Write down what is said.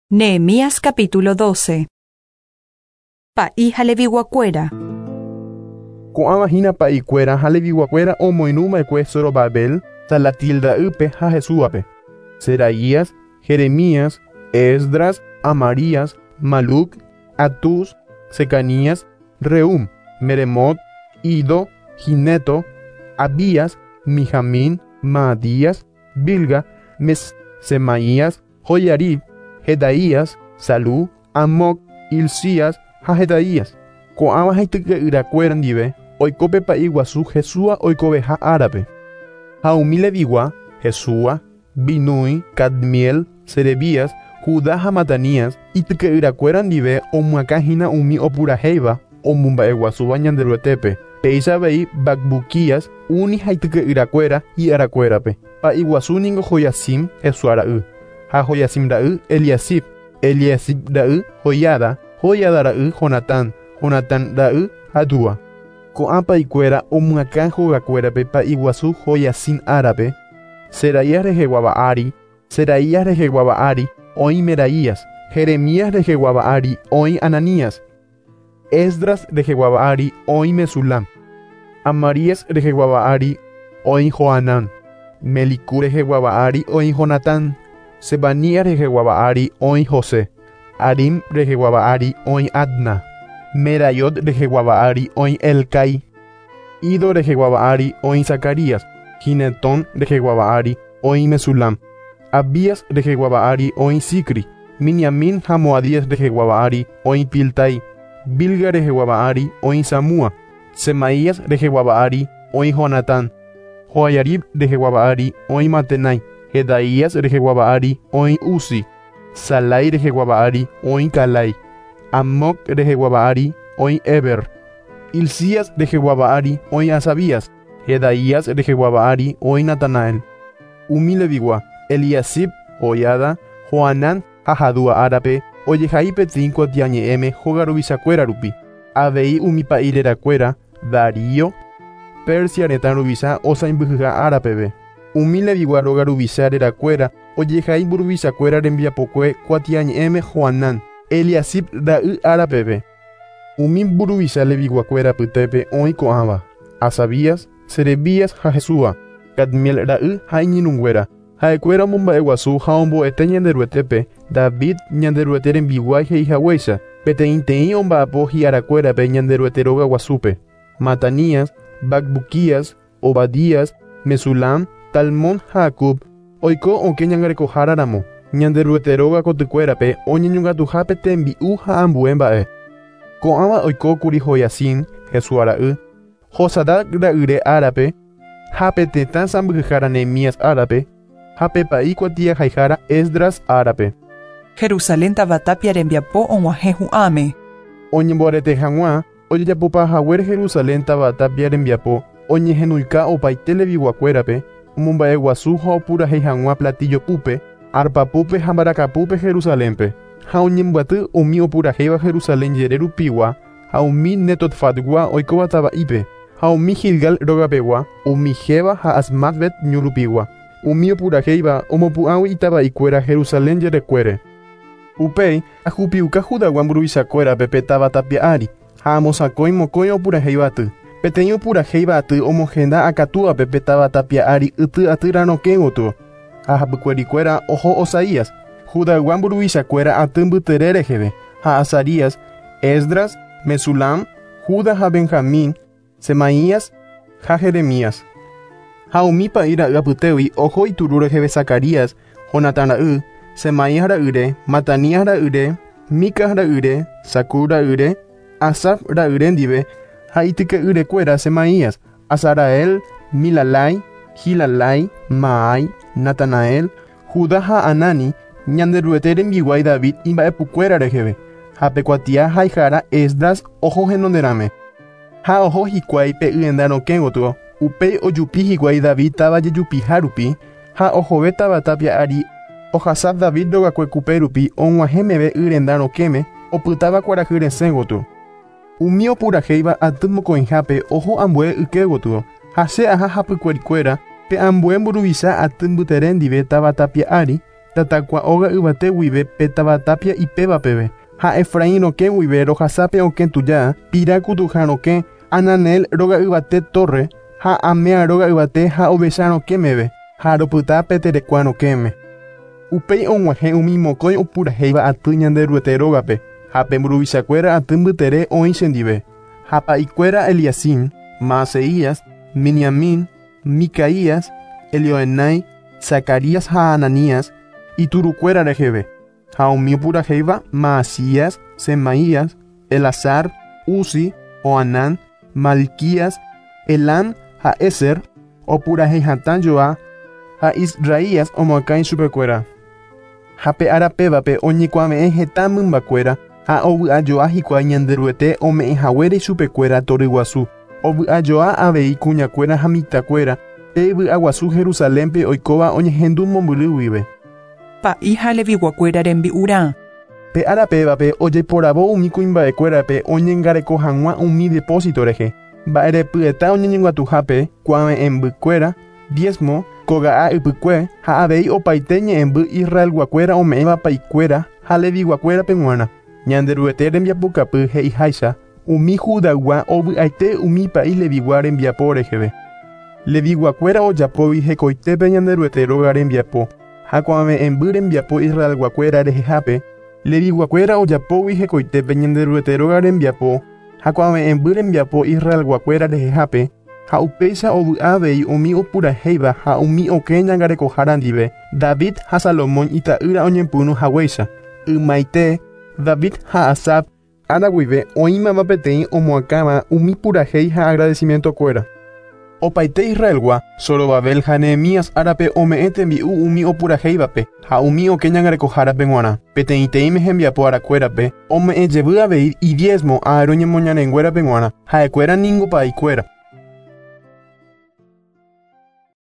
Nehemías capítulo 12. Pa'i ha Leviguakuéra. Ko'ãva hína pa'ikuéra ha Leviguakuéra omoirũva'ekue Zorobabel, Salatiel ra'ýpe ha Jesúape, Seraías, Jeremías, Esdras, Amarías, Maluc, Atús, Secanías, Reum, Meremot, Ido, Gineto, Abías, Mijamín, Maadías, Bilga, Mes, Semaías, Joiarib, Jedaías, Salú, Amoc, Hilcías ha Jedaías. Ko'ãva ha ityke'yrakuéra ndive oiko pe pa'i guasu Jesúa oikoveha árape. Ha umi Levigua, Jesúa, Binúi, Cadmiel, Serebías, Judá ha Matanías ityke'yrakuéra ndive omyakãhína umi opurahéiva omomba'eguasúva Ñanderuetépe. Péicha avei Bacbuquías, Uni ha ityke'yrakuéra hi'arakuérape. Pa'i guasu ningo Joiacim, Jesúa ra'y. Ha Joiacim ra'y Eliasib, Eliasib ra'y Joiada, Joiada ra'y Jonatán, Jonatán ra'y Jadúa. Ko'ã pa'ikuéra omyakã hogakuérape pa'i guasu Joiacim árape, Seraías reheguáva ári, Seraías reheguáva ári oĩ Meraías, Jeremías reheguáva ári oĩ Ananías, Esdras reheguáva ári oĩ Mesulam, Amarías reheguáva ári oĩ Johanán, Melicú reheguáva ári oĩ Jonatán, Sebanías reheguáva ári oĩ José, Arim reheguáva ári oĩ Adna, Meraiot reheguáva ári oĩ Elcai, Ido reheguáva ári oĩ Zacarías, Ginetón reheguáva ári oĩ Mesulam, Abías reheguáva ári oĩ Zicri, Miniamín ha Moadías reheguáva ári oĩ Piltai, Bilga reheguáva ári oĩ Samúa, Semaías reheguáva ári oĩ Jonatán, Joiarib reheguáva ári oĩ Matenai, Jedaías reheguáva ári oĩ Uzi, Salai reheguáva ári oĩ Calai, Amoc reheguáva ári oĩ Eber, Hilcías reheguáva ári oĩ Asabías, Jedaías reheguáva ári oĩ Natanael. Umi Levigua, Eliasib, Joiada, Johanán ha Jadúa árape ojehai peteĩ kuatiañe'ẽme hóga ruvichakuéra rupi. Avei umi pa'i rerakuéra, Darío, Persia retã ruvicha osãimbyhyha ára peve. Umi Levigua róga ruvicha rerakuéra ojehai mburuvichakuéra rembiapokue kuatiañe'ẽme Johanán, Eliasib ra'y ára peve. Umi mburuvicha Leviguakuéra apytépe oĩ ko'ãva, Asabías, Serebías ha Jesúa, Cadmiel ra'y ha iñirũnguéra. Ha'ekuéra omomba'eguasu ha ombo'ete Ñanderuetépe, David Ñanderuete rembiguái he'ihaguéicha, peteĩteĩ omba'apo hi'arakuérape Ñanderuete róga guasúpe. Matanías, Bacbuquías, Obadías, Mesulam, Talmón ha Acub oiko okẽ ñangarekohára ramo, Ñanderuete róga kotykuérape oñeñongatuhápe tembi'u ha ambue mba'e. Ko'ãva oikókuri Joiacim, Jesúa ra'y, Josadac ra'yre árape, ha pe tetã sãmbyhyhára Nehemías árape, ha pe pa'i kuatiahaihára Esdras árape. Jerusalén táva tapia rembiapo og̃uahẽ hu'ãme. Oñemboarete hag̃ua ojejapopa haguére Jerusalén táva tapia rembiapo oñehenóika opaite Leviguakuérape, omomba'eguasu ha opurahéi hag̃ua platillo púpe, arpa púpe ha mbarakapúpe Jerusalénpe. Ha oñembyaty umi opurahéiva Jerusalén jere rupigua ha umi Netotfatgua oikóva tava'ípe, ha umi Gilgal rogapegua, umi Geba ha Asmatvet ñu rupigua, umi opurahéiva omopu'ãgui itava'ikuéra Jerusalén jerekuére. Upéi, ahupiuka Judagua mburuvichakuérape pe táva tapia ári, ha amosakõi mokõi opurahéiva aty. Peteĩ opurahéiva aty omohenda akatúape pe táva tapia ári yty atýra rokẽ gotyo, ha hapykuerikuéra oho Osaías, Judaygua mburuvichakuéra aty mbytere reheve, ha Azarías, Esdras, Mesulam, Juda ha Benjamín, Semaías ha Jeremías. Ha umi pa'i ra'y apytégui oho ituru reheve Zacarías, Jonatán ra'y, Semaías ra'yre, Matanías ra'yre, Micas ra'yre, Zacur ra'yre, Asaf ra'yre ndive, ha ityke'yrekuéra Semaías, Azarael, Milalai, Gilalai, Maai, Natanael, Judá ha Anani, Ñanderuete rembiguái David imba'epukuéra reheve, ha pe kuatia haihára Esdras oho henonderãme. Ha oho hikuái pe yenda rokẽ gotyo, upéi ojupi hikuái David táva jejupiha rupi, ha ohove táva tapia ári ohasa David rogakue kupe rupi og̃uahẽ meve y renda rokẽme opytáva kuarahy resẽ gotyo. Umi opurahéiva aty mokõihápe oho ambue yke gotyo, ha che aha hapykuerikuéra pe ambue mburuvicha aty mbytere ndive táva tapia ári, Tatakua óga yvate guive pe táva tápia ipéva peve. Ha Efraín rokẽ guive rohasa pe okẽ tuja, pira kutuha rokẽ, Ananel róga yvate tórre, ha Amea róga yvate ha Ovecha rokẽ meve, ha ropyta pe terekua rokẽme. Upéi og̃uahẽ umi mokõi opurahéiva aty Ñanderuete rógape, ha pe mburuvichakuéra aty mbytere oĩ chendive. Ha pa'ikuéra Eliacim, Maaseías, Miniamín, Micaías, Elioenai, Zacarías ha Ananías, iturukuéra reheve. Ha umi opurahéiva Maasías, Semaías, Elazar, Uzi, Joanán, Malquías, Elam ha Ézer, opurahéi hatã joa ha Israías omoakã ichupekuéra. Ha pe ára pévape oñekuave'ẽ heta mymbakuéra ha ovy'ajoa hikuái Ñanderuete ome'ẽhaguére ichupekuéra toryguasu. Ovy'ajoa avei kuñakuéra ha mitãkuéra pe vy'aguasu Jerusalénpe oikóva oñehendu mombyry guive. Pa'i ha Leviguakuéra rembi'urã. Pe ára pévape ojeiporavo umi kuimba'ekuérape oñangareko hag̃ua umi depósito rehe, mba'erepyeta oñeñongatuhápe kuave'ẽmbykuéra, diezmo, koga'a ypykue ha avei opaite ñe'ẽmby Israelguakuéra ome'ẽva pa'ikuéra ha Leviguakuérape g̃uarã. Ñanderuete rembiapokapy he'iháicha umi Judaygua ovy'aite umi pa'i Levigua rembiapo reheve. Leviguakuéra ojapóvi hekoitépe Ñanderuete róga rembiapo ha kuave'ẽmby rembiapo Israelguakuéra rehehápe, Leviguakuéra ojapógui hekoitépe Ñanderuete róga rembiapo ha kuave'ẽmby rembiapo Israelguakuéra rehehápe, ha upéicha ovy'a avei umi opurahéiva ha umi okẽ ñangarekohára ndive, David ha Salomón ita'ýra oñepyrũ haguéicha. Ymaite, David ha Asaf ára guive oĩmava peteĩ omoakãva umi purahéi ha agradecimiento-kuéra. Opaite Israelgua, Zorobabel ha Nehemías árape ome'ẽ tembi'u umi opurahéivape ha umi okẽ ñangarekohárape g̃uarã. Peteĩteĩme hembiapo arakuérape ome'ẽ jevy avei idiezmo Aarón ñemoñarenguérape g̃uarã, ha'ekuéra ningo pa'ikuéra.